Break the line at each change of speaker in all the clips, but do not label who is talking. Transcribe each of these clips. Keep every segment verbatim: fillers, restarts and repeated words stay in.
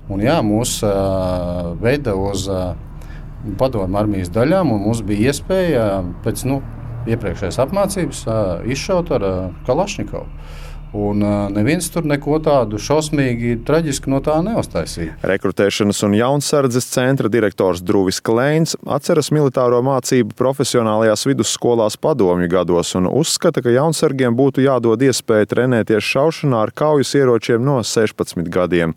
Un, jā, mūs uh, veida uz uh, padomu armijas daļām, un mums bija iespēja pēc nu, iepriekšējās apmācības uh, izšaut ar uh, Kalašņikovu. Un uh, neviens tur neko tādu šausmīgi, traģisku no tā neuztaisīja.
Rekrutēšanas un jaunsardzes centra direktors Druvis Kleins atceras militāro mācību profesionālajās vidusskolās padomju gados un uzskata, ka jaunsargiem būtu jādod iespēja trenēties šaušanā ar kaujas ieročiem no sešpadsmit gadiem.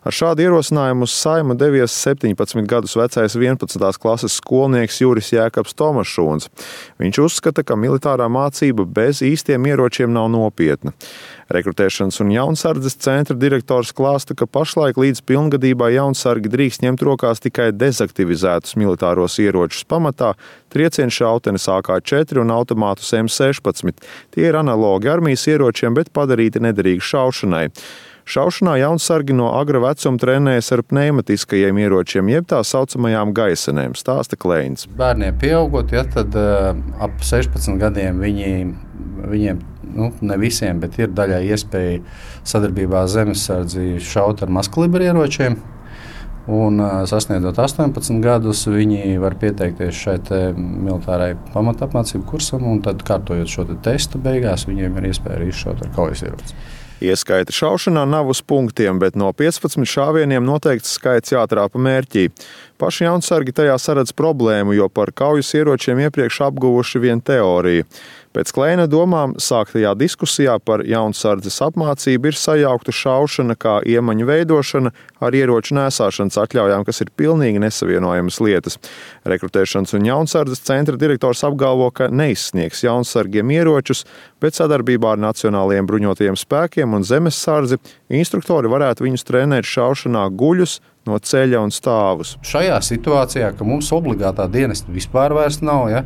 Ar šādu ierosinājumu uz Saimu devies septiņpadsmit gadus vecais vienpadsmitās klases skolnieks Juris Jēkabs Tomašūns. Viņš uzskata, ka militārā mācība bez īstiem ieročiem nav nopietna. Rekrutēšanas un jaunsardzes centra direktors klāsta, ka pašlaik līdz pilngadībā jaunsargi drīkst ņemt rokās tikai dezaktivizētus militāros ieročus pamatā, triecienšautenes A K četri un automātus M sešpadsmit. Tie ir analogi armijas ieročiem, bet padarīti nederīgi šaušanai. Šaušanā jaunsargi no agra vecuma trenējas ar pneimatiskajiem ieročiem, jeb tā saucamajām gaisenēm, stāsta Kleins.
Bērniem pieaugot, ja, tad uh, ap sešpadsmit gadiem viņi, viņiem, nu, ne visiem, bet ir daļai iespēja sadarbībā ar zemesardzi šaut ar mazkalibra ieročiem. Un uh, sasniedzot astoņpadsmit gadus, viņi var pieteikties šai militārai pamatapmācību kursam, un tad, kārtojot šo te testu beigās, viņiem ir iespēja arī izšaut ar kaujas ieroci.
Ieskaita šaušanā nav uz punktiem, bet no piecpadsmit šāvieniem noteikts skaits jātrāpa mērķī. Paši jaunsargi tajā saredz problēmu, jo par kaujas ieročiem iepriekš apguvuši vien teoriju. Pēc Kleina domām sāktajā diskusijā par jaunsardzes apmācību ir sajaukta šaušana kā iemaņu veidošana ar ieroču nēsāšanas atļaujām, kas ir pilnīgi nesavienojamas lietas. Rekrutēšanas un jaunsardzes centra direktors apgalvo, ka neizsniegs jaunsargiem ieročus, bet sadarbībā ar Nacionālajiem bruņotajiem spēkiem un zemessardzi instruktori varētu viņus trenēt šaušanā guļus no ceļa un stāvus.
Šajā situācijā, ka mums obligātā dienesta vispār vairs nav, ja,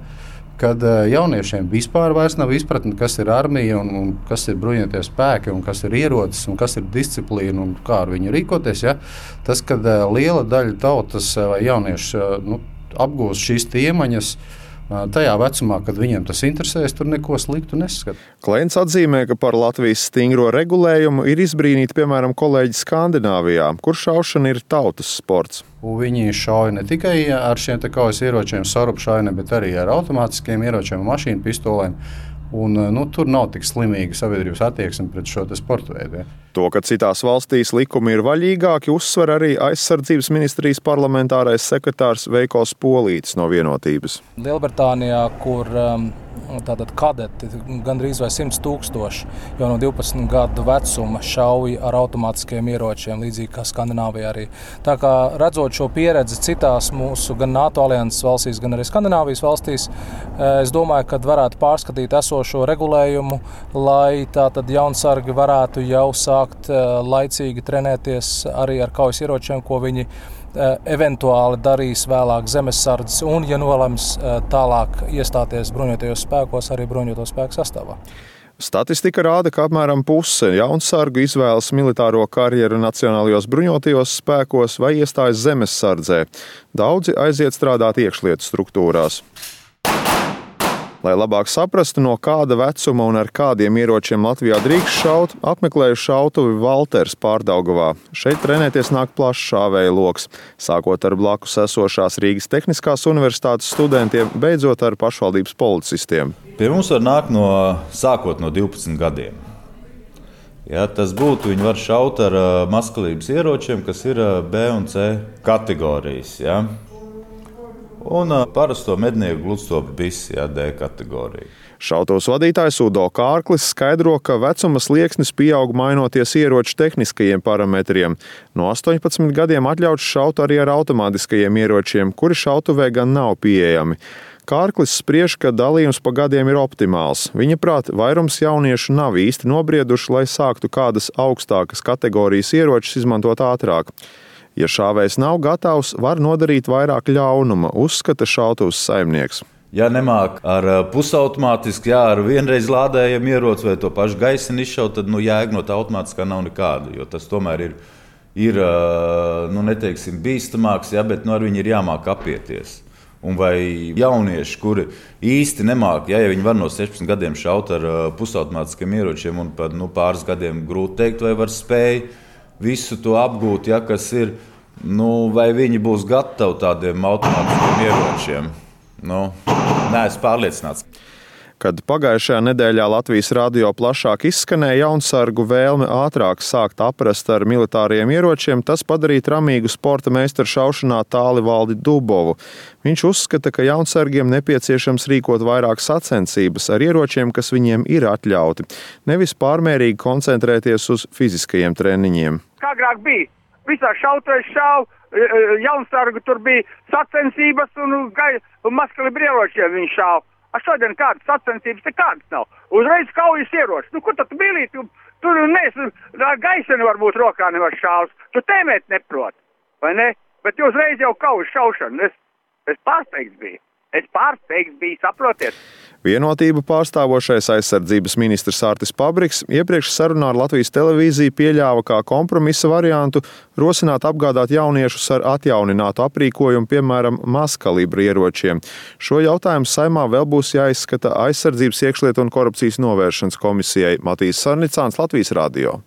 kad jauniešiem vispār vairs nav izpratne, kas ir armija un, un kas ir bruņotie spēki un kas ir ierocis un kas ir disciplīna un kā ar viņu rīkoties, ja, tas, kad liela daļa tautas vai jaunieši nu, apgūst šīs iemaņas, tajā vecumā, kad viņiem tas interesēs, tur neko sliktu neskat.
Kleins atzīmē, ka par Latvijas stingro regulējumu ir izbrīnīti, piemēram, kolēģi Skandināvijā, kur šaušana ir tautas sports.
Un viņi šauja ne tikai ar šiem te kaujas ieročiem, sarupšaini, bet arī ar automātiskiem ieročiem, mašīnu pistolēm. Un, nu, tur nav tik slimīga sabiedrības attieksme pret šo sporta veidu. Ja.
To, ka citās valstīs likumi ir vaļīgāki, uzsver arī aizsardzības ministrijas parlamentārais sekretārs Veikos Polītis no Vienotības.
Lielbritānijā, kur um, tātad kadeti gandrīz vai simts tūkstoši jau no divpadsmit gadu vecuma šauja ar automātiskiem ieročiem, līdzīgi kā Skandināvijā arī. Tā kā redzot šo pieredzi citās mūsu gan NATO alianses valstīs, gan arī Skandināvijas valstīs, es domāju, ka varētu pārskatīt esošo regulējumu, lai tātad jaunsargi varētu jau sākt laicīgi trenēties arī ar kaujas ieročiem, ko viņi eventuāli darīs vēlāk zemesardzes un, ja nolems tālāk iestāties bruņotajos spēkos, arī bruņoto spēku sastāvā.
Statistika rāda, ka apmēram puse jaunsargu izvēlas militāro karjeru Nacionālajos bruņotajos spēkos vai iestājas zemessardzē. Daudzi aiziet strādāt iekšlietu struktūrās. Lai labāk saprastu, no kāda vecuma un ar kādiem ieročiem Latvijā drīkst šaut, apmeklēju šautuvi Valters Pārdaugavā. Šeit trenēties nāk plašs šāvēja loks, sākot ar blakus esošās Rīgas Tehniskās universitātes studentiem, beidzot ar pašvaldības policistiem.
Pie mums var nākt no, sākot no divpadsmit gadiem. Ja, tas būtu, viņi var šaut ar mazkalības ieročiem, kas ir B un C kategorijas. Ja. Un parasto mednieku gludstopu bisi, ja, D kategorija.
Šautavas vadītājs Udo Kārklis skaidro, ka vecuma slieksnis pieaug mainoties ieroču tehniskajiem parametriem. No astoņpadsmit gadiem atļauts šaut arī ar automātiskajiem ieročiem, kuri šautuvē gan nav pieejami. Kārklis spriež, ka dalījums pa gadiem ir optimāls. Viņa prāt, vairums jauniešu nav īsti nobrieduši, lai sāktu kādas augstākas kategorijas ieročus izmantot ātrāk. Ja šāvējs nav gatavs, var nodarīt vairāk ļaunuma, uzskata šautavas saimnieks.
Ja nemāk ar pusautomātisku, jā, ar vienreiz lādējiem ieroci vai to pašu gaiseni izšaut, tad nu, jēga no tā automātiskā nav nekāda, jo tas tomēr ir, ir nu, neteiksim, bīstamāks, jā, bet nu, ar viņu ir jāmāk apieties. Un vai jaunieši, kuri īsti nemāk, ja, ja viņi var no sešpadsmit gadiem šaut ar pusautomātiskiem ieročiem un pat nu, pāris gadiem grūti teikt, vai var spēj, visu to apgūt, ja, kas ir, nu, vai viņi būs gatavi tādiem automātiskiem ieročiem. Nu, neesmu pārliecināts.
Kad pagājušajā nedēļā Latvijas radio plašāk izskanēja jaunsargu vēlme ātrāk sākt aprast ar militāriem ieročiem, tas padarīja tramīgu sporta meistaru šaušanā Tālivaldi Dubovu. Viņš uzskata, ka jaunsargiem nepieciešams rīkot vairāk sacensības ar ieročiem, kas viņiem ir atļauti, nevis pārmērīgi koncentrēties uz fiziskajiem treniņiem.
Kā agrāk bija? Visā šautais šauj, jaunsargu tur bija sacensības un, un mazkalibri ieročiem viņš šauj. A šodien kādas sacensības te kādas nav. Uzreiz kaujas ieroči. Nu, kur tad bilī? Tu, tur neesi, gaiseni varbūt rokā nevar šaus. Tu tēmēt neprot, vai ne? Bet uzreiz jau kaujas šaušana. Es, es pārsteigts biju. Es pārsteigts biju, saprotiet?
Vienotību pārstāvošais aizsardzības ministrs Artis Pabriks iepriekš sarunā ar Latvijas televīziju pieļāva kā kompromisa variantu rosināt apgādāt jauniešus ar atjauninātu aprīkojumu, piemēram, mazkalibra ieročiem. Šo jautājumu Saeimā vēl būs jāizskata Aizsardzības iekšlietu un korupcijas novēršanas komisijai. Matīs Sarnicāns, Latvijas radio.